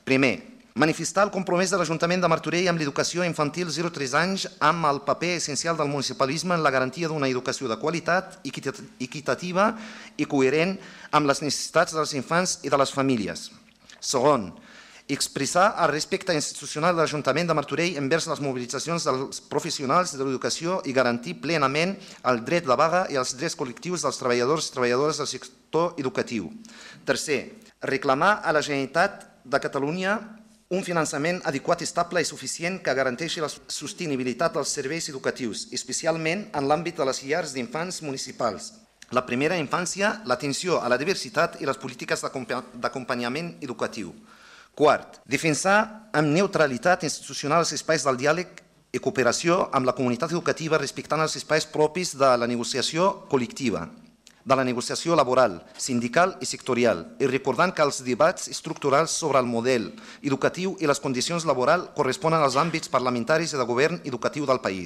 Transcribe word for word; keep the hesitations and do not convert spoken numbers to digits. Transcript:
Primer, manifestar el compromís de l'Ajuntament de Martorell amb l'educació infantil zero a tres anys amb el paper essencial del municipalisme en la garantia d'una educació de qualitat, equitativa i coherent amb les necessitats dels infants i de les famílies. Segon, expressar el respecte institucional de l'Ajuntament de Martorell envers les mobilitzacions dels professionals de l'educació i garantir plenament el dret de vaga i els drets col·lectius dels treballadors i treballadores del sector educatiu. Tercer, reclamar a la Generalitat de Catalunya un finançament adequat, estable i suficient que garanteixi la sostenibilitat dels serveis educatius, especialment en l'àmbit de les llars d'infants municipals. La primera infància, l'atenció a la diversitat i les polítiques d'acompanyament educatiu. Quart, defensar amb neutralitat institucional els espais del diàleg i cooperació amb la comunitat educativa respectant els espais propis de la negociació col·lectiva, de la negociació laboral, sindical i sectorial, i recordant que els debats estructurals sobre el model educatiu i les condicions laborals corresponen als àmbits parlamentaris i de govern educatiu del país.